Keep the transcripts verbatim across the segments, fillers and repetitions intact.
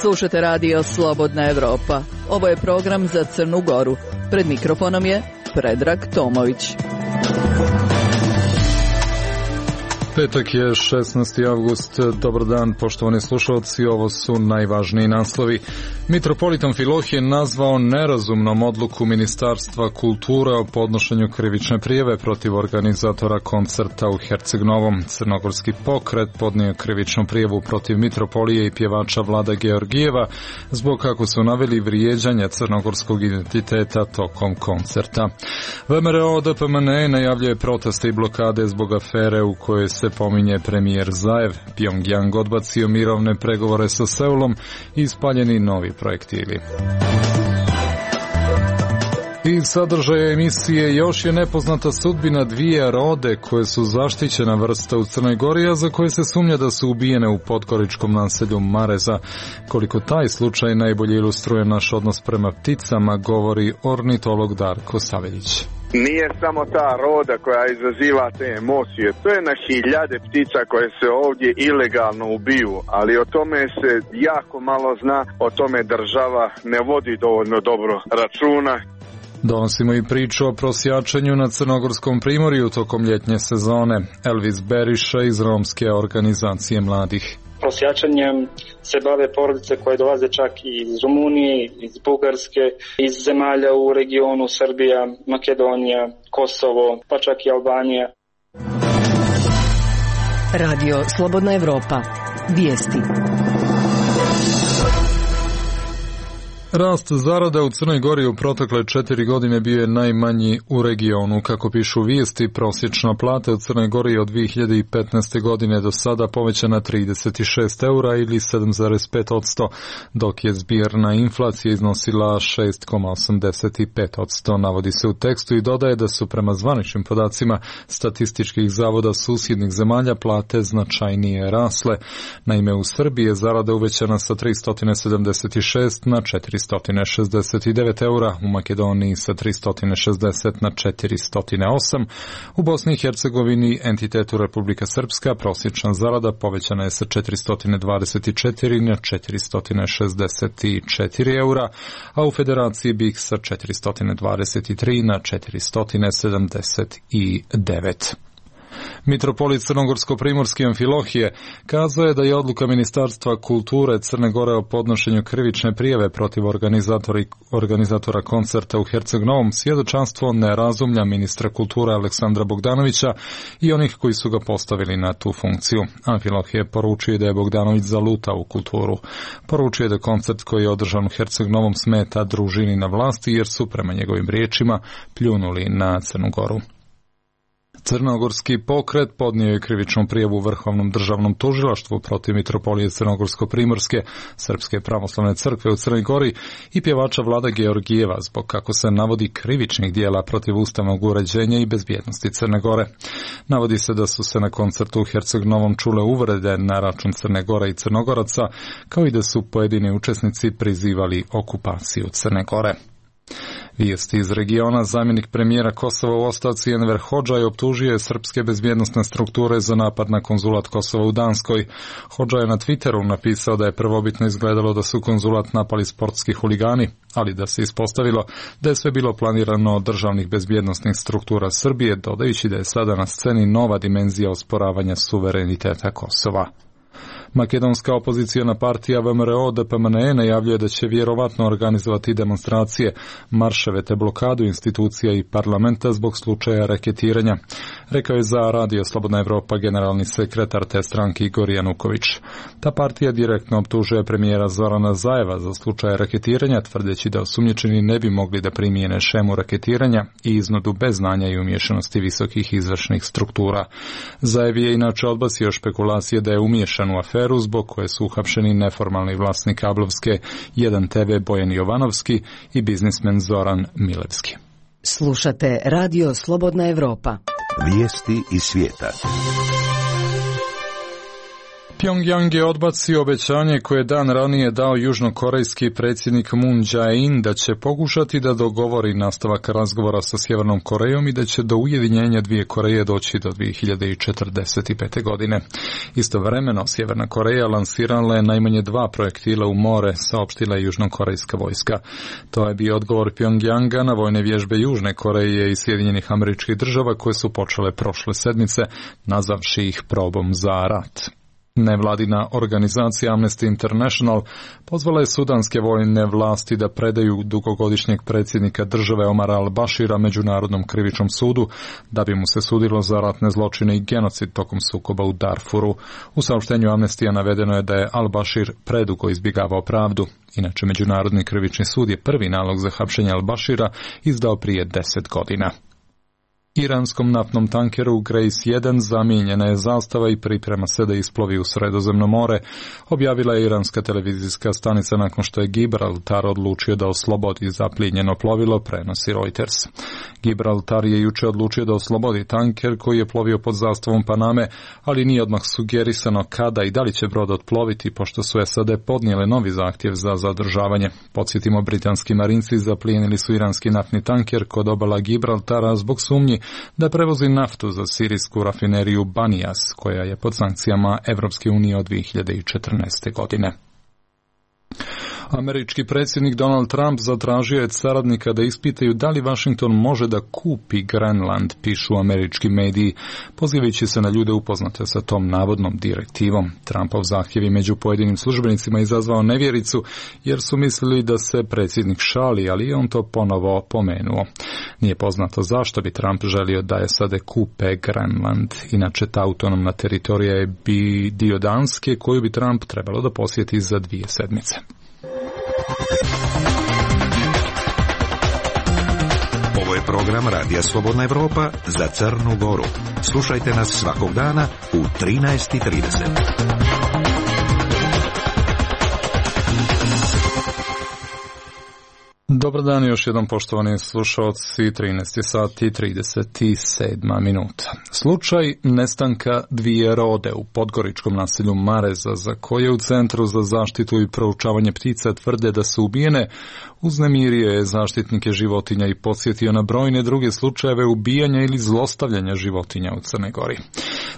Slušate radio Slobodna Evropa. Ovo je program za Crnu Goru. Pred mikrofonom je Predrag Tomović. Petak je šesnaesti avgust. Dobar dan, poštovani slušalci, ovo su najvažniji naslovi. Mitropolit Amfilohije nazvao nerazumnom odluku Ministarstva kulture o podnošenju krivične prijave protiv organizatora koncerta u Herceg-Novom. Crnogorski pokret podnio krivičnu prijavu protiv mitropolije i pjevača Vlada Georgijeva zbog, kako su naveli, vrijeđanja crnogorskog identiteta tokom koncerta. V M R O D P M N E najavljuje proteste i blokade zbog afere u kojoj se pominje premijer Zaev. Pjongjang odbacio mirovne pregovore sa Seulom i ispaljeni novi projektili. Iz sadržaja emisije još je nepoznata sudbina dvije rode koje su zaštićena vrsta u Crnoj Gori, a za koje se sumnja da su ubijene u podgoričkom naselju Mareza. Koliko taj slučaj najbolje ilustruje naš odnos prema pticama, govori ornitolog Darko Saveljić. Nije samo ta roda koja izaziva te emocije, to je na hiljade ptica koje se ovdje ilegalno ubiju, ali o tome se jako malo zna, o tome država ne vodi dovoljno dobro računa. Donosimo i priču o prosjačenju na Crnogorskom primorju tokom ljetnje sezone. Elvis Beriša iz romske organizacije mladih. Prosjačanjem se bave porodice koje dolaze čak iz Rumunije, iz Bugarske, iz zemalja u regionu Srbija, Makedonija, Kosovo, pa čak i Albanija. Radio Slobodna Evropa. Vijesti. Rast zarada u Crnoj Gori u protekle četiri godine bio je najmanji u regionu. Kako pišu vijesti, prosječna plata u Crnoj Gori od dvije hiljade petnaeste. godine do sada povećana trideset šest eura ili sedam zarez pet posto, dok je zbirna inflacija iznosila šest zarez osamdeset pet posto. Navodi se u tekstu i dodaje da su prema zvaničnim podacima statističkih zavoda susjednih zemalja plate značajnije rasle. Naime, u Srbiji je zarada uvećana sa tristo sedamdeset šest na četiristo šezdeset devet eura, u Makedoniji sa tristo šezdeset na četiristo osam, u Bosni i Hercegovini, entitetu Republika Srpska, prosječna zarada povećana je sa četiristo dvadeset četiri na četiristo šezdeset četiri eura, a u Federaciji B I H sa četiristo dvadeset tri na četiristo sedamdeset devet. Mitropolit Crnogorsko-primorski Amfilohije kazao je da je odluka Ministarstva kulture Crne Gore o podnošenju krivične prijave protiv organizatora koncerta u Herceg-Novom svjedočanstvo nerazumlja ministra kulture Aleksandra Bogdanovića i onih koji su ga postavili na tu funkciju. Amfilohije poručuje da je Bogdanović zalutao u kulturu. Poručuje da koncert koji je održan u Herceg-Novom smeta družini na vlasti jer su, prema njegovim riječima, pljunuli na Crnu Goru. Crnogorski pokret podnio je krivičnu prijavu Vrhovnom državnom tužilaštvu protiv mitropolije Crnogorsko-primorske Srpske pravoslavne crkve u Crnoj Gori i pjevača Vlada Georgijeva zbog, kako se navodi, krivičnih dijela protiv ustavnog uređenja i bezbjednosti Crne Gore. Navodi se da su se na koncertu u Herceg-Novom čule uvrede na račun Crne Gore i Crnogoraca, kao i da su pojedini učesnici prizivali okupaciju Crne Gore. Vijesti iz regiona. Zamjenik premijera Kosova u ostavci Enver Hodžaj optužio je srpske bezbjednosne strukture za napad na konzulat Kosova u Danskoj. Hodžaj je na Twitteru napisao da je prvobitno izgledalo da su konzulat napali sportski huligani, ali da se ispostavilo da je sve bilo planirano od državnih bezbjednosnih struktura Srbije, dodajući da je sada na sceni nova dimenzija osporavanja suvereniteta Kosova. Makedonska opozicijona partija V M R O D P M N E najavljuje da će vjerovatno organizovati demonstracije, marševe te blokadu institucija i parlamenta zbog slučaja reketiranja, rekao je za Radio Slobodna Evropa generalni sekretar te stranke Igor Januković. Ta partija direktno optužuje premijera Zorana Zaeva za slučaj reketiranja, tvrdeći da osumnjičeni ne bi mogli da primijene šemu reketiranja i iznudu bez znanja i umiješanosti visokih izvršnih struktura. Zaev je inače odbacio špekulacije da je umiješan u aferu zbog koje su uhapšeni neformalni vlasnik kablovske jedan T V Bojan Jovanovski i biznismen Zoran Milevski. Slušate Radio Slobodna Evropa. Vijesti iz svijeta. Pyongyang je odbacio obećanje koje je dan ranije dao južnokorejski predsjednik Moon Jae-in da će pokušati da dogovori nastavak razgovora sa Sjevernom Korejom i da će do ujedinjenja dvije Koreje doći do dvije hiljade četrdeset pete. godine. Istovremeno, Sjeverna Koreja lansirala je najmanje dva projektila u more, saopštila je južnokorejska vojska. To je bio odgovor Pyongyanga na vojne vježbe Južne Koreje i Sjedinjenih Američkih Država koje su počele prošle sedmice, nazavši ih probom za rat. Nevladina organizacija Amnesty International pozvala je sudanske vojne vlasti da predaju dugogodišnjeg predsjednika države Omara al-Bashira Međunarodnom krivičnom sudu da bi mu se sudilo za ratne zločine i genocid tokom sukoba u Darfuru. U saopštenju Amnestija navedeno je da je al-Bashir predugo izbjegavao pravdu. Inače, Međunarodni krivični sud je prvi nalog za hapšenje al-Bashira izdao prije deset godina. Iranskom naftnom tankeru Grace jedan zamijenjena je zastava i priprema se da isplovi u Sredozemno more, objavila je iranska televizijska stanica nakon što je Gibraltar odlučio da oslobodi zaplijenjeno plovilo, prenosi Reuters. Gibraltar je juče odlučio da oslobodi tanker koji je plovio pod zastavom Paname, ali nije odmah sugerisano kada i da li će brod otploviti, pošto su S A D podnijele novi zahtjev za zadržavanje. Podsjetimo, britanski marinci zaplijenili su iranski naftni tanker kod obala Gibraltara zbog sumnji da prevozi naftu za sirijsku rafineriju Banijas, koja je pod sankcijama Evropske unije od dvije hiljade četrnaeste. godine. Američki predsjednik Donald Trump zatražio je saradnika da ispitaju da li Washington može da kupi Grenland, pišu američki mediji, pozivajući se na ljude upoznate sa tom navodnom direktivom. Trumpov zahtjev je među pojedinim službenicima izazvao nevjericu, jer su mislili da se predsjednik šali, ali je on to ponovo pomenuo. Nije poznato zašto bi Trump želio da je S A D kupe Grenland. Inače, ta autonomna teritorija je bi dio Danske koju bi Trump trebalo da posjeti za dvije sedmice. Ovo je program Radija Slobodna Evropa za Crnu Goru. Slušajte nas svakog dana u trinaest i trideset. Dobar dan još jedan, poštovani slušalci, trinaest sati i trideset sedam minuta. Slučaj nestanka dvije rode u podgoričkom naselju Mareza, za koje u Centru za zaštitu i proučavanje ptica tvrde da su ubijene, uznemirio je zaštitnike životinja i podsjetio na brojne druge slučajeve ubijanja ili zlostavljanja životinja u Crnoj Gori.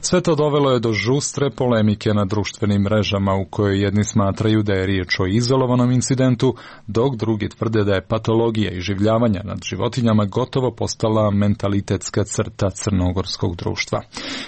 Sve to dovelo je do žustre polemike na društvenim mrežama, u kojoj jedni smatraju da je riječ o izolovanom incidentu, dok drugi tvrde da je patologija i življavanja nad životinjama gotovo postala mentalitetska crta crnogorskog društva.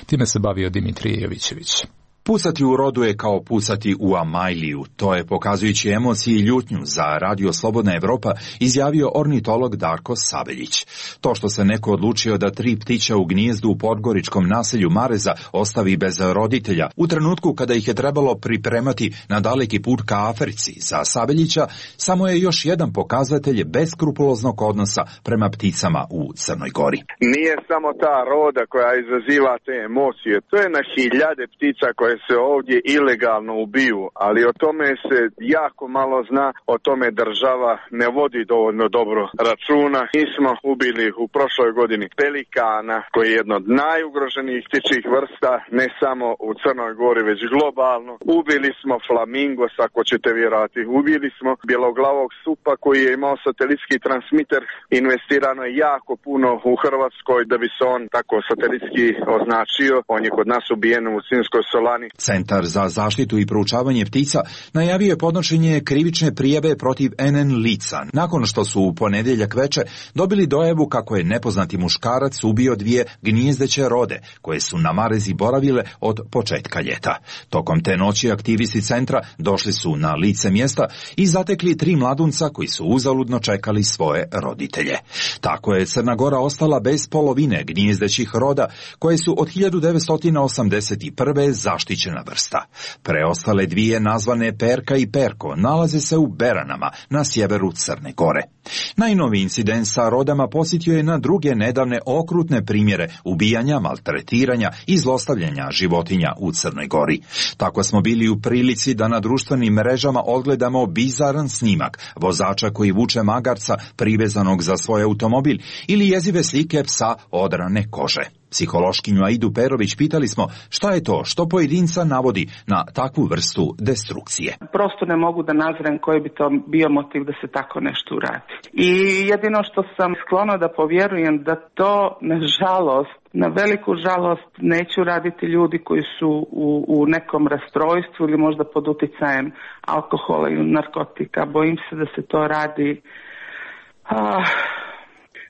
Time se bavio Dimitrije Jovićević. Pucati u rodu je kao pucati u Amajliju. To je, pokazujući emociji i ljutnju za Radio Slobodna Evropa, izjavio ornitolog Darko Sabeljić. To što se neko odlučio da tri ptića u gnijezdu u podgoričkom naselju Mareza ostavi bez roditelja, u trenutku kada ih je trebalo pripremati na daleki put ka Africi, za Sabeljića samo je još jedan pokazatelj beskrupuloznog odnosa prema pticama u Crnoj Gori. Nije samo ta roda koja izaziva te emocije, to je na hiljade ptica koje se ovdje ilegalno ubiju, ali o tome se jako malo zna, o tome država ne vodi dovoljno dobro računa. Mi smo ubili u prošloj godini pelikana, koji je jedno od najugroženijih ptičjih vrsta, ne samo u Crnoj Gori, već globalno. Ubili smo flamingos, ako ćete vjerovati. Ubili smo bjeloglavog supa koji je imao satelitski transmiter. Investirano je jako puno u Hrvatskoj da bi se on tako satelitski označio. On je kod nas ubijen u Sinjskoj Solani. Centar za zaštitu i proučavanje ptica najavio je podnošenje krivične prijave protiv N N lica, nakon što su u ponedjeljak veče dobili dojavu kako je nepoznati muškarac ubio dvije gnijezdeće rode, koje su na Marezi boravile od početka ljeta. Tokom te noći aktivisti centra došli su na lice mjesta i zatekli tri mladunca koji su uzaludno čekali svoje roditelje. Tako je Crna Gora ostala bez polovine gnijezdećih roda, koje su od hiljadu devetsto osamdeset prve zaštićena vrsta. Preostale dvije, nazvane Perka i Perko, nalaze se u Beranama na sjeveru Crne Gore. Najnoviji incident sa rodama posjetio je na druge nedavne okrutne primjere ubijanja, maltretiranja i zlostavljanja životinja u Crnoj Gori. Tako smo bili u prilici da na društvenim mrežama odgledamo bizaran snimak vozača koji vuče magarca privezanog za svoj automobil ili jezive slike psa odrane kože. Psihološkinju Aidu Perović pitali smo šta je to što pojedinca navodi na takvu vrstu destrukcije. Prosto ne mogu da nazrem koji bi to bio motiv da se tako nešto uradi. I jedino što sam sklona da povjerujem da to, nažalost, na veliku žalost neću raditi ljudi koji su u, u nekom rastrojstvu ili možda pod uticajem alkohola ili narkotika. Bojim se da se to radi ah,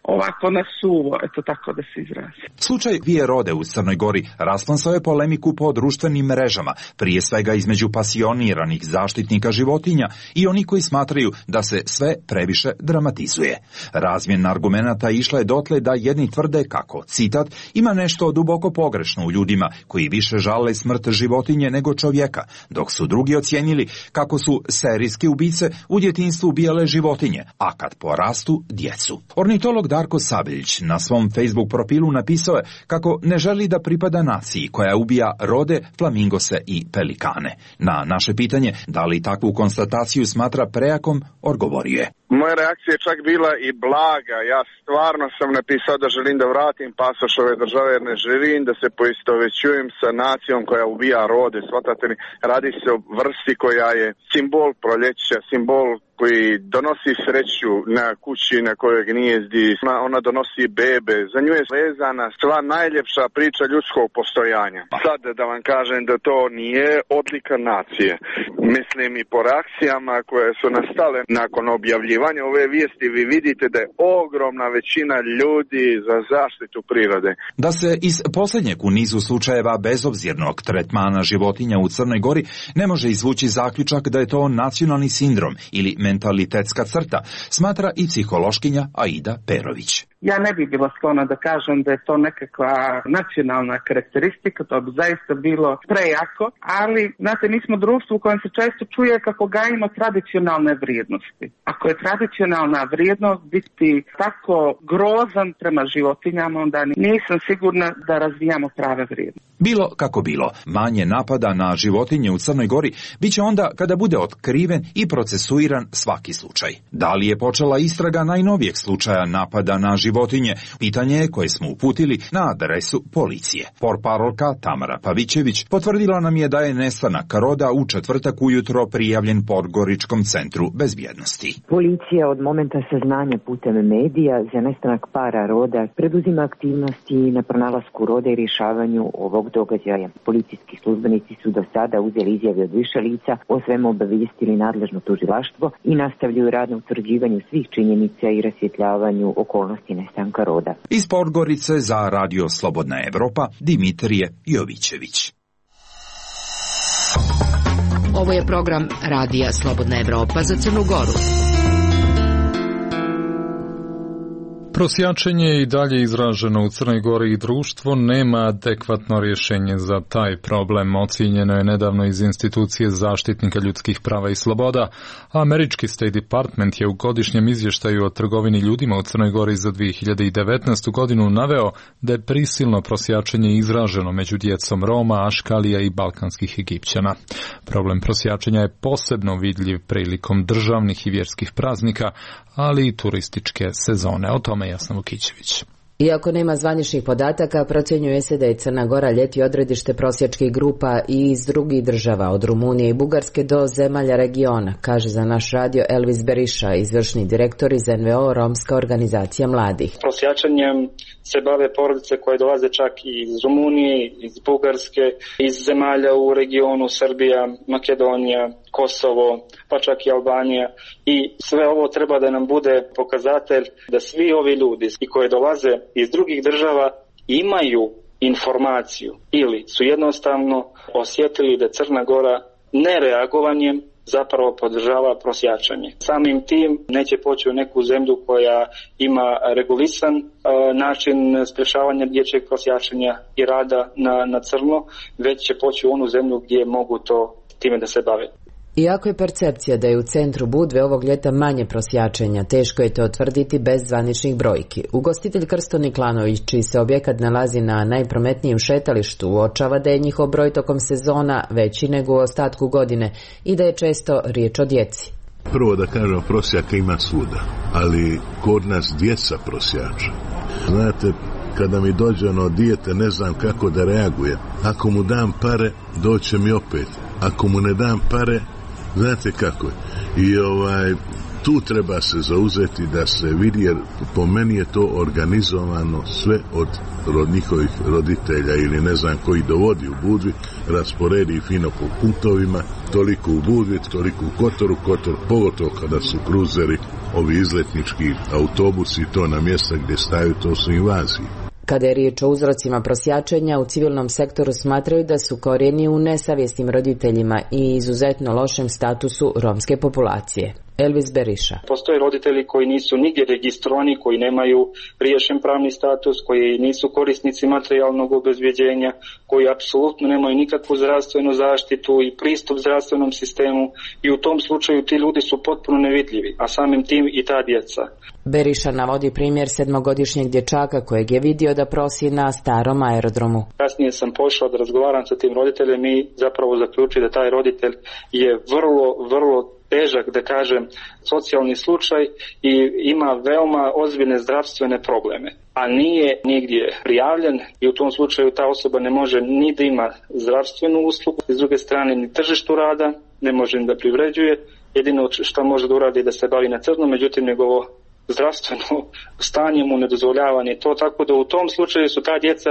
ovako na suvo, eto tako da se izrazi. Slučaj dvije rode u Crnoj Gori rasplamsao je polemiku po društvenim mrežama, prije svega između pasioniranih zaštitnika životinja i oni koji smatraju da se sve previše dramatizuje. Razmjena argumenata išla je dotle da jedni tvrde kako, citat, ima nešto duboko pogrešno u ljudima koji više žale smrt životinje nego čovjeka, dok su drugi ocijenili kako su serijske ubice u djetinjstvu ubijale životinje, a kad porastu djecu. Ornitolog Darko Sabeljić na svom Facebook profilu napisao je kako ne želi da pripada naciji koja ubija rode, flamingose i pelikane. Na naše pitanje da li takvu konstataciju smatra prejakom, odgovorio je. Moja reakcija je čak bila i blaga. Ja stvarno sam napisao da želim da vratim pasoš ove države jer ne želim da se poistovećujem sa nacijom koja ubija rode. Svatate mi, radi se o vrsti koja je simbol proljeća, simbol koji donosi sreću na kući na kojoj gnijezdi, ona donosi bebe, za nju je vezana sva najljepša priča ljudskog postojanja. Sad da vam kažem da to nije odlika nacije. Mislim i po reakcijama koje su nastale nakon objavljivanja ove vijesti, vi vidite da je ogromna većina ljudi za zaštitu prirode. Da se iz posljednjeg u nizu slučajeva bezobzirnog tretmana životinja u Crnoj Gori ne može izvući zaključak da je to nacionalni sindrom ili mentalitetska crta, smatra i psihološkinja Aida Perović. Ja ne bih bila sklona da kažem da je to nekakva nacionalna karakteristika, to bi zaista bilo prejako, ali, znate, mi smo društvo u kojem se često čuje kako gajimo tradicionalne vrijednosti. Ako je tradicionalna vrijednost biti tako grozan prema životinjama, onda nisam sigurna da razvijamo prave vrijednosti. Bilo kako bilo, manje napada na životinje u Crnoj Gori bit će onda kada bude otkriven i procesuiran svaki slučaj. Da li je počela istraga najnovijeg slučaja napada na životinje? Pitanje je koje smo uputili na adresu policije. Portparolka Tamara Pavićević potvrdila nam je da je nestanak roda u četvrtak ujutro prijavljen Podgoričkom centru bezbjednosti. Policija od momenta saznanja putem medija za nestanak para roda preduzima aktivnosti na pronalasku roda i rješavanju ovog događaja. Policijski službenici su do sada uzeli izjave od više lica, o svemu obavijestili nadležno tužilaštvo i nastavljaju rad na utvrđivanju svih činjenica i rasvjetljavanju okolnosti nestanka roda. Iz Podgorice za Radio Slobodna Evropa, Dimitrije Jovićević. Ovo je program Radija Slobodna Evropa za Crnu Goru. Prosjačenje je i dalje izraženo u Crnoj Gori i društvo nema adekvatno rješenje za taj problem. Ocijenjeno je nedavno iz institucije zaštitnika ljudskih prava i sloboda. Američki State Department je u godišnjem izvještaju o trgovini ljudima u Crnoj Gori za dvije hiljade devetnaestu. godinu naveo da je prisilno prosjačenje izraženo među djecom Roma, Aškalija i balkanskih Egipćana. Problem prosjačenja je posebno vidljiv prilikom državnih i vjerskih praznika, ali i turističke sezone. O tome Jasna Vukićević. Iako nema zvaničnih podataka, procjenjuje se da je Crna Gora ljeti odredište prosjačkih grupa i iz drugih država, od Rumunije i Bugarske do zemalja regiona, kaže za naš radio Elvis Beriša, izvršni direktor iz en ve o Romska organizacija mladih. Prosjačanjem se bave porodice koje dolaze čak i iz Rumunije, iz Bugarske, iz zemalja u regionu Srbija, Makedonija, Kosovo, pa čak i Albanija. I sve ovo treba da nam bude pokazatelj da svi ovi ljudi i koji dolaze iz drugih država imaju informaciju ili su jednostavno osjetili da Crna Gora nereagovanjem zapravo podržava prosjačanje. Samim tim neće poći u neku zemlju koja ima regulisan uh, način sprječavanja dječjeg prosjačanja i rada na, na crno, već će poći u onu zemlju gdje mogu to time da se bave. Iako je percepcija da je u centru Budve ovog ljeta manje prosjačenja, teško je to utvrditi bez zvaničnih brojki. Ugostitelj Krsto Niklanović, čiji se objekat nalazi na najprometnijem šetalištu, uočava da je njihov broj tokom sezona veći nego u ostatku godine i da je često riječ o djeci. Prvo da kažem, prosjaka ima svuda, ali kod nas djeca prosjača. Znate, kada mi dođe ono dijete, ne znam kako da reaguje. Ako mu dam pare, doće mi opet. Ako mu ne dam pare, znate kako je. I ovaj, tu treba se zauzeti da se vidi, jer po meni je to organizovano sve od njihovih roditelja ili ne znam koji dovodi u Budvi, rasporedi fino po punktovima, toliko u Budvi, toliko u Kotoru, Kotor, pogotovo kada su kruzeri, ovi izletnički autobusi, to na mjesta gdje staju, to su invazije. Kada je riječ o uzrocima prosjačenja, u civilnom sektoru smatraju da su korijeni u nesavjesnim roditeljima i izuzetno lošem statusu romske populacije. Elvis Beriša. Postoje roditelji koji nisu nigdje registrovani, koji nemaju riješen pravni status, koji nisu korisnici materijalnog obezbjeđenja, koji apsolutno nemaju nikakvu zdravstvenu zaštitu i pristup zdravstvenom sistemu i u tom slučaju ti ljudi su potpuno nevidljivi, a samim tim i ta djeca. Beriša navodi primjer sedmogodišnjeg dječaka kojeg je vidio da prosi na starom aerodromu. Kasnije sam pošao da razgovaram sa tim roditeljem i zapravo zaključio da taj roditelj je vrlo, vrlo težak, da kažem, socijalni slučaj i ima veoma ozbiljne zdravstvene probleme, a nije nigdje prijavljen i u tom slučaju ta osoba ne može ni da ima zdravstvenu uslugu, s druge strane ni tržištu rada, ne može ni da privređuje, jedino što može da uradi da se bavi na crno, međutim njegovo zdravstveno stanje mu ne dozvoljava ni to, tako da u tom slučaju su ta djeca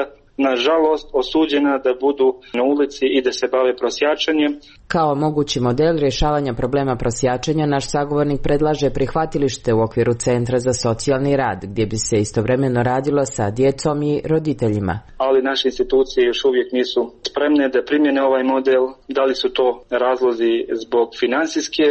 nažalost osuđena da budu na ulici i da se bave prosjačenjem. Kao mogući model rješavanja problema prosjačenja, naš sagovornik predlaže prihvatilište u okviru Centra za socijalni rad, gdje bi se istovremeno radilo sa djecom i roditeljima. Ali naše institucije još uvijek nisu spremne da primjene ovaj model. Da li su to razlozi zbog financijske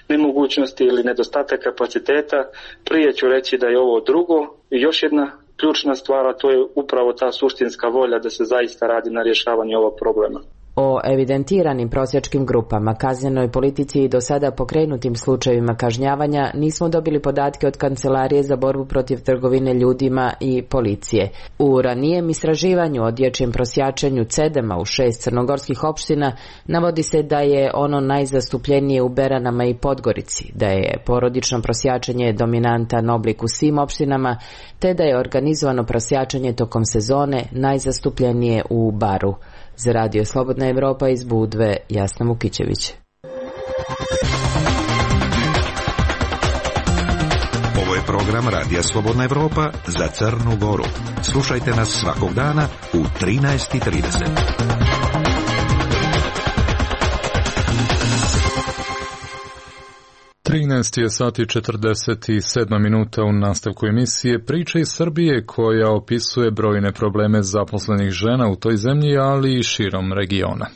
nemogućnosti ili nedostatak kapaciteta? Prije ću reći da je ovo drugo. I još jedna ključna stvar, a to je upravo ta suštinska volja da se zaista radi na rješavanju ovog problema. O evidentiranim prosjačkim grupama, kaznenoj politici i do sada pokrenutim slučajevima kažnjavanja nismo dobili podatke od Kancelarije za borbu protiv trgovine ljudima i policije. U ranijem istraživanju o dječjem prosjačenju cedema u šest crnogorskih opština navodi se da je ono najzastupljenije u Beranama i Podgorici, da je porodično prosjačenje dominantan oblik u svim opštinama, te da je organizovano prosjačenje tokom sezone najzastupljenije u Baru. Za Radio Slobodna Evropa iz Budve, Jasna Mukićević. Ovo je program Radija Slobodna Evropa za Crnu Goru. Slušajte nas svakog dana u trinaest i trideset. trinaest je sati četrdeset sedam minuta. U nastavku emisije Priče iz Srbije, koja opisuje brojne probleme zaposlenih žena u toj zemlji, ali i širom regiona.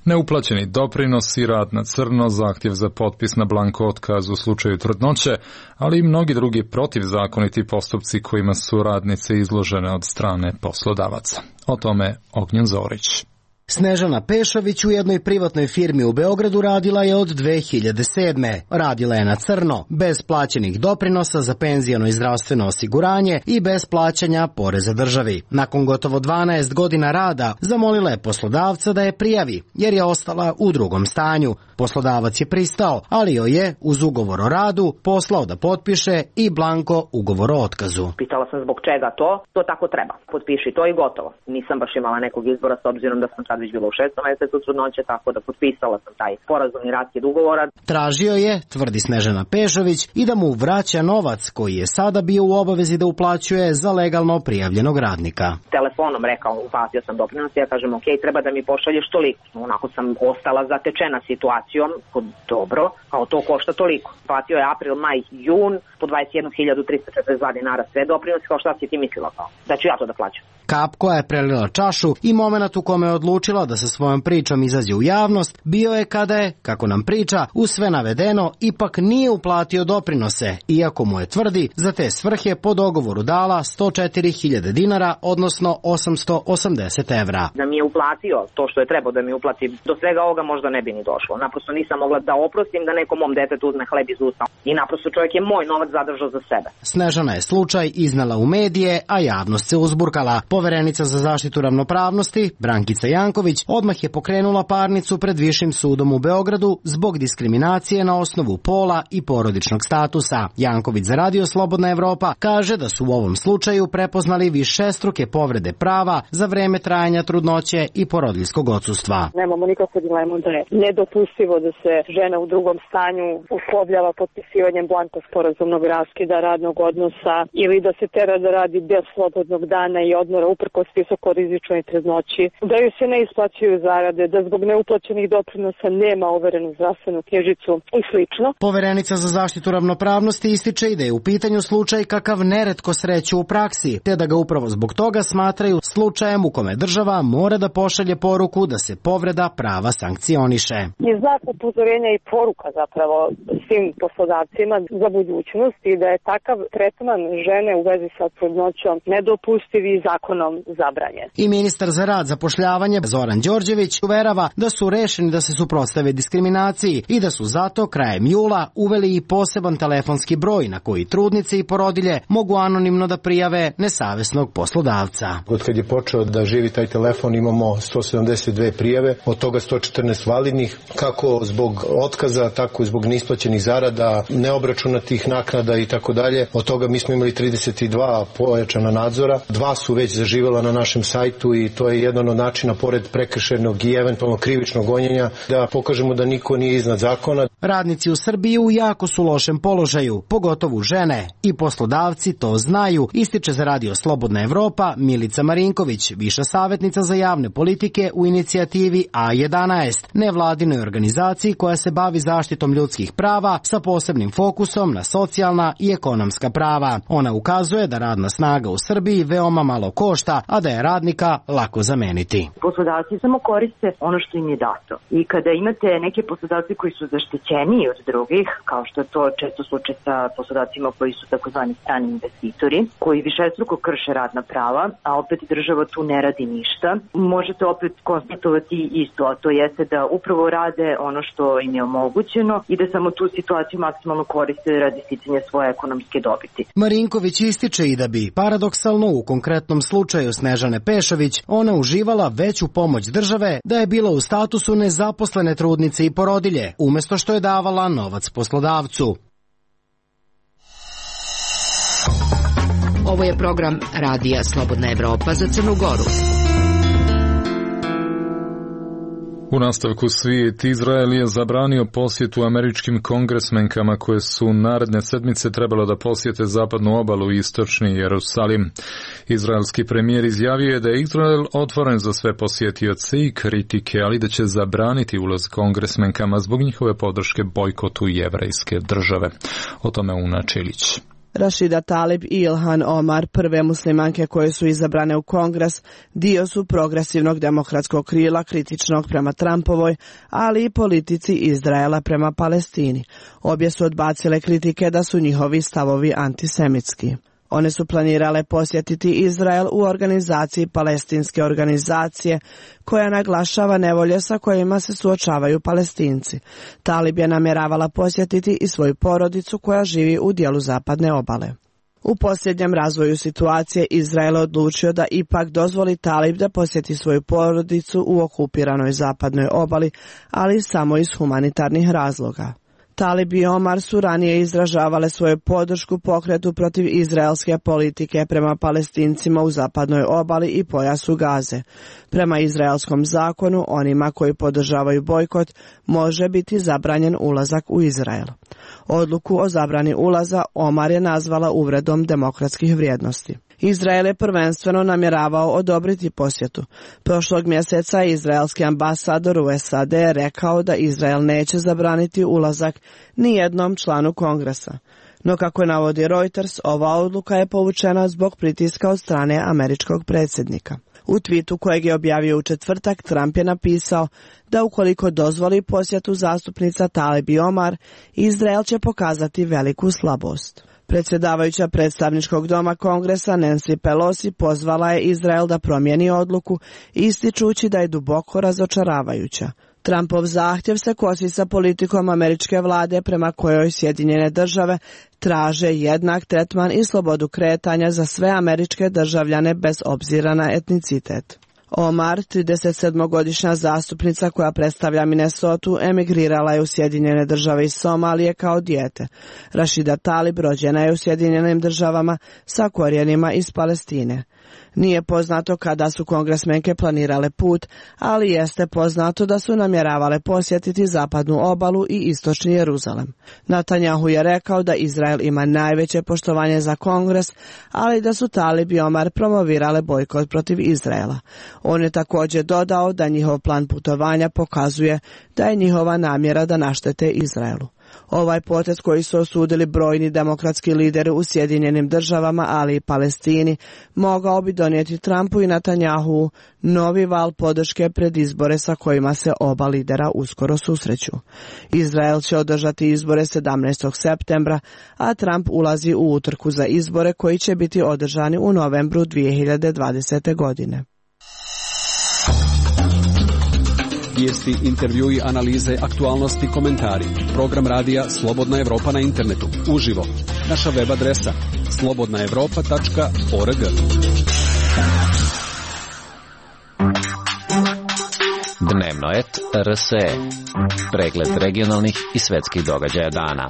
Neuplaćeni doprinosi, rad na crno, zahtjev za potpis na blanko otkaz u slučaju trudnoće, ali i mnogi drugi protivzakoniti postupci kojima su radnice izložene od strane poslodavaca. O tome Ognjen Zorić. Snežana Pešović u jednoj privatnoj firmi u Beogradu radila je od dve hiljade sedme. Radila je na crno, bez plaćenih doprinosa za penzijano i zdravstveno osiguranje i bez plaćanja poreza državi. Nakon gotovo dvanaest godina rada zamolila je poslodavca da je prijavi, jer je ostala u drugom stanju. Poslodavac je pristao, ali joj je uz ugovor o radu poslao da potpiše i blanko ugovor o otkazu. Pitala sam zbog čega to, to tako treba. Potpiši to i gotovo. Nisam baš imala nekog izbora s obzirom da sam sad već bila u šestom mjesecu trudnoće, tako da potpisala sam taj sporazumni raskid ugovora. Tražio je, tvrdi Snežana Pešović, i da mu vraća novac koji je sada bio u obavezi da uplaćuje za legalno prijavljenog radnika. Telefonom rekao, uplatio sam doprinos, ja kažem ok, treba da mi pošalješ toliko. Onako sam ostala zatečena situacijom, dobro, kao to košta toliko. Platio je april, maj, jun, po dvadeset jednu hiljadu trista četrdeset dva dinara sve doprinosi, kao šta si ti mislila kao? Da ću ja to da plaćam. Kap koja je prelila čašu i moment u kome je odlučila da sa svojom pričom izađe u javnost bio je kada je, kako nam priča, uz sve navedeno ipak nije uplatio doprinose, iako mu je, tvrdi, za te svrhe po dogovoru dala sto četiri hiljade dinara, odnosno osamsto osamdeset evra. Da mi je uplatio to što je trebao da mi uplati, do svega ovoga možda ne bi ni došlo. Naprosto nisam mogla da oprostim da nekom mom detetu uzme hleb iz usta. I naprosto čovjek je moj novac zadržao za sebe. Snežana je slučaj iznala u medije, a javnost se uzburkala. Poverenica za zaštitu ravnopravnosti, Brankica Janković, Janković odmah je pokrenula parnicu pred Višim sudom u Beogradu zbog diskriminacije na osnovu pola i porodičnog statusa. Janković za Radio Slobodna Evropa kaže da su u ovom slučaju prepoznali višestruke povrede prava za vreme trajanja trudnoće i porodiljskog odsustva. Nemamo nikakvu dilemu da je nedopustivo da se žena u drugom stanju uslovljava potpisivanjem blanko sporazumnog raskida radnog odnosa ili da se tera da radi bez slobodnog dana i odmora uprkos visokorizičnoj trudnoći, da joj se ne isplaćuju zarade, da zbog neuplaćenih doprinosa nema overenu zdravstvenu knjižicu i slično. Poverenica za zaštitu ravnopravnosti ističe i da je u pitanju slučaj kakav neretko sreću u praksi, te da ga upravo zbog toga smatraju slučajem u kome država mora da pošalje poruku da se povreda prava sankcioniše. Je znak upozorenja i poruka zapravo svim poslodavcima za budućnost i da je takav tretman žene u vezi sa trudnoćom nedopustiv i zakonom zabranjen. I ministar za rad, zapošljavanje Zoran Đorđević uverava da su rešeni da se suprotstave diskriminaciji i da su zato krajem jula uveli i poseban telefonski broj na koji trudnice i porodilje mogu anonimno da prijave nesavesnog poslodavca. Od kad je počeo da živi taj telefon imamo sto sedamdeset dve prijave, od toga sto četrnaest validnih, kako zbog otkaza, tako i zbog neisplaćenih zarada, neobračunatih naknada i tako dalje. Od toga mi smo imali trideset dva pojačana nadzora, dva su već zaživela na našem sajtu i to je jedan od načina, pored prekršajnog i eventualno krivičnog gonjenja, da pokažemo da niko nije iznad zakona. Radnici u Srbiji u jako su lošem položaju, pogotovo žene, i poslodavci to znaju, ističe za Radio Slobodna Evropa Milica Marinković, viša savjetnica za javne politike u inicijativi A jedanaest, nevladinoj organizaciji koja se bavi zaštitom ljudskih prava sa posebnim fokusom na socijalna i ekonomska prava. Ona ukazuje da radna snaga u Srbiji veoma malo košta, a da je radnika lako zameniti. Poslodavci samo koriste ono što im je dato. I kada imate neke poslodavci koji su zaštićeniji od drugih, kao što je to često slučaj sa poslodavcima koji su takozvani strani investitori, koji višestruko krše radna prava, a opet država tu ne radi ništa, možete opet konstatovati isto, a to jeste da upravo rade ono što im je omogućeno i da samo tu situaciju maksimalno koriste radi sticanja svoje ekonomske dobiti. Marinković ističe i da bi, paradoksalno u konkretnom slučaju Snežane Pešović, ona uživala veću pomoć države da je bila u statusu nezaposlene trudnice i porodilje, umesto što je davala novac poslodavcu. Ovo je program Radija Slobodna Evropa za Crnu Goru. U nastavku svijet, Izrael je zabranio posjetu američkim kongresmenkama koje su naredne sedmice trebalo da posjete zapadnu obalu i istočni Jerusalim. Izraelski premijer izjavio je da je Izrael otvoren za sve posjetioce i kritike, ali da će zabraniti ulaz kongresmenkama zbog njihove podrške bojkotu jevrejske države. O tome Una Čilić. Rashida Tlaib i Ilhan Omar, prve muslimanke koje su izabrane u Kongres, dio su progresivnog demokratskog krila kritičnog prema Trumpovoj, ali i politici Izraela prema Palestini. Obje su odbacile kritike da su njihovi stavovi antisemitski. One su planirale posjetiti Izrael u organizaciji palestinske organizacije koja naglašava nevolje sa kojima se suočavaju Palestinci. Tlaib je namjeravala posjetiti i svoju porodicu koja živi u dijelu zapadne obale. U posljednjem razvoju situacije Izrael odlučio da ipak dozvoli Tlaib da posjeti svoju porodicu u okupiranoj zapadnoj obali, ali samo iz humanitarnih razloga. Tlaib i Omar su ranije izražavale svoju podršku pokretu protiv izraelske politike prema Palestincima u zapadnoj obali i pojasu Gaze. Prema izraelskom zakonu, onima koji podržavaju bojkot može biti zabranjen ulazak u Izrael. Odluku o zabrani ulaza Omar je nazvala uvredom demokratskih vrijednosti. Izrael je prvenstveno namjeravao odobriti posjetu. Prošlog mjeseca izraelski ambasador u S A D rekao da Izrael neće zabraniti ulazak ni jednom članu Kongresa. No kako navodi Reuters, ova odluka je povučena zbog pritiska od strane američkog predsjednika. U twitu kojeg je objavio u četvrtak, Trump je napisao da ukoliko dozvoli posjetu zastupnica Tlaib i Omar, Izrael će pokazati veliku slabost. Predsjedavajuća predstavničkog doma Kongresa Nancy Pelosi pozvala je Izrael da promijeni odluku, ističući da je duboko razočaravajuća. Trumpov zahtjev se kosi sa politikom američke vlade prema kojoj Sjedinjene države traže jednak tretman i slobodu kretanja za sve američke državljane bez obzira na etnicitet. Omar, tridesetsedmogodišnja zastupnica koja predstavlja Minnesotu, emigrirala je u Sjedinjene države iz Somalije kao dijete. Rashida Talib rođena je u Sjedinjenim državama sa korijenima iz Palestine. Nije poznato kada su kongresmenke planirale put, ali jeste poznato da su namjeravale posjetiti zapadnu obalu i istočni Jeruzalem. Netanjahu je rekao da Izrael ima najveće poštovanje za kongres, ali da su Talib i Omar promovirale bojkot protiv Izraela. On je također dodao da njihov plan putovanja pokazuje da je njihova namjera da naštete Izraelu. Ovaj potez koji su osudili brojni demokratski lideri u Sjedinjenim državama, ali i Palestini, mogao bi donijeti Trumpu i Netanjahu novi val podrške pred izbore sa kojima se oba lidera uskoro susreću. Izrael će održati izbore sedamnaestog septembra, a Trump ulazi u utrku za izbore koji će biti održani u novembru dvije hiljade dvadesete. godine. Vijesti, intervjui, analize, aktualnosti, komentari. Program radija Slobodna Evropa na internetu. Uživo. Naša web adresa slobodna evropa tačka org. Dnevno et R S E. Pregled regionalnih i svetskih događaja dana.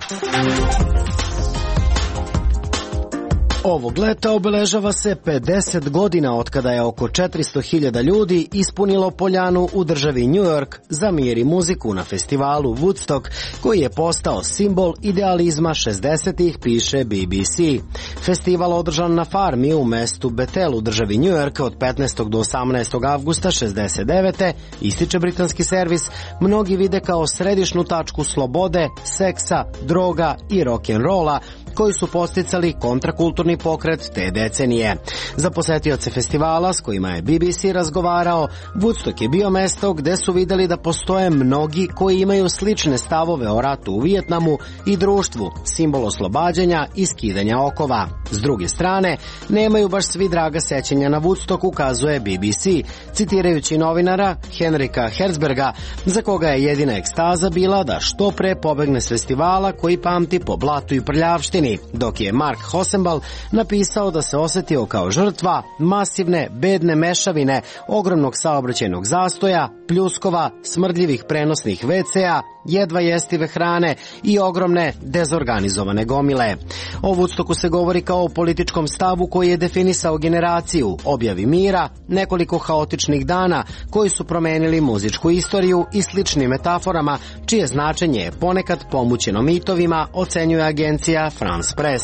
Ovog leta obeležava se pedeset godina od kada je oko četiristo hiljada ljudi ispunilo poljanu u državi New York za mir i muziku na festivalu Woodstock, koji je postao simbol idealizma šezdesetih, piše B B C. Festival održan na farmi u mestu Bethel u državi New York od petnaestog do osamnaestog avgusta šezdeset devete. ističe britanski servis, mnogi vide kao središnu tačku slobode, seksa, droga i rock'n'rolla, koji su posticali kontrakulturni pokret te decenije. Za posetioce festivala s kojima je B B C razgovarao, Woodstock je bio mesto gde su videli da postoje mnogi koji imaju slične stavove o ratu u Vijetnamu i društvu, simbol oslobađanja i skidanja okova. S druge strane, nemaju baš svi draga sećanja na Woodstock, ukazuje B B C, citirajući novinara Henrika Herzberga, za koga je jedina ekstaza bila da što pre pobegne s festivala koji pamti po blatu i prljavštini, dok je Mark Hosenbal napisao da se osetio kao žrtva masivne, bedne mešavine, ogromnog saobraćajnog zastoja, pljuskova, smrdljivih prenosnih ve ce a, jedva jestive hrane i ogromne dezorganizovane gomile. O Woodstocku se govori kao o političkom stavu koji je definisao generaciju, objavi mira, nekoliko haotičnih dana koji su promenili muzičku istoriju i sličnim metaforama, čije značenje je ponekad pomućeno mitovima, ocenjuje agencija France Press.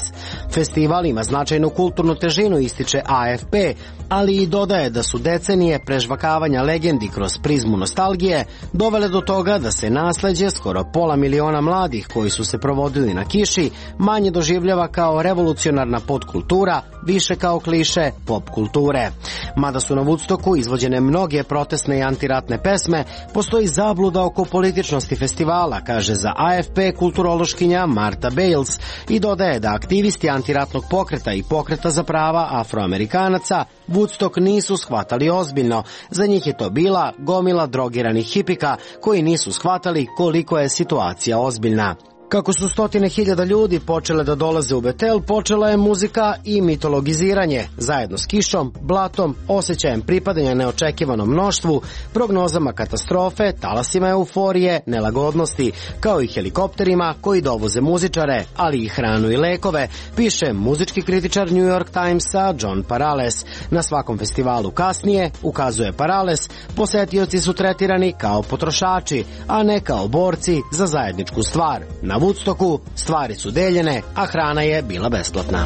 Festival ima značajnu kulturnu težinu, ističe A F P, ali i dodaje da su decenije prežvakavanja legendi kroz prizmu nostalgije dovele do toga da se nasleđe skoro pola miliona mladih koji su se provodili na kiši manje doživljava kao revolucionarna podkultura, više kao kliše pop kulture. Mada su na Woodstocku izvođene mnoge protestne i antiratne pesme, postoji zabluda oko političnosti festivala, kaže za A F P kulturološkinja Marta Bales, i dodaje da aktivisti antiratnog pokreta i pokreta za prava Afroamerikanaca Woodstock nisu shvatali ozbiljno. Za njih je to bila gomila drogiranih hipika koji nisu shvatali koliko je situacija ozbiljna. Kako su stotine hiljada ljudi počele da dolaze u Betel, počela je muzika i mitologiziranje, zajedno s kišom, blatom, osjećajem pripadanja neočekivanom mnoštvu, prognozama katastrofe, talasima euforije, nelagodnosti, kao i helikopterima koji dovoze muzičare, ali i hranu i lekove, piše muzički kritičar New York Timesa John Parales. Na svakom festivalu kasnije, ukazuje Parales, posetioci su tretirani kao potrošači, a ne kao borci za zajedničku stvar. Na Woodstocku stvari su deljene, a hrana je bila besplatna.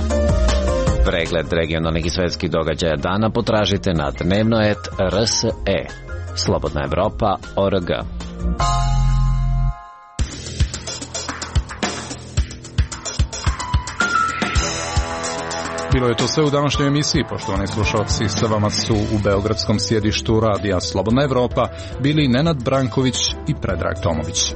Pregled regionalnih i svetskih događaja dana potražite na dnevno et R S E. Slobodna Evropa org. Bilo je to sve u današnjoj emisiji. Poštovani slušalci, sa vama su u beogradskom sjedištu radija Slobodna Evropa bili Nenad Branković i Predrag Tomović.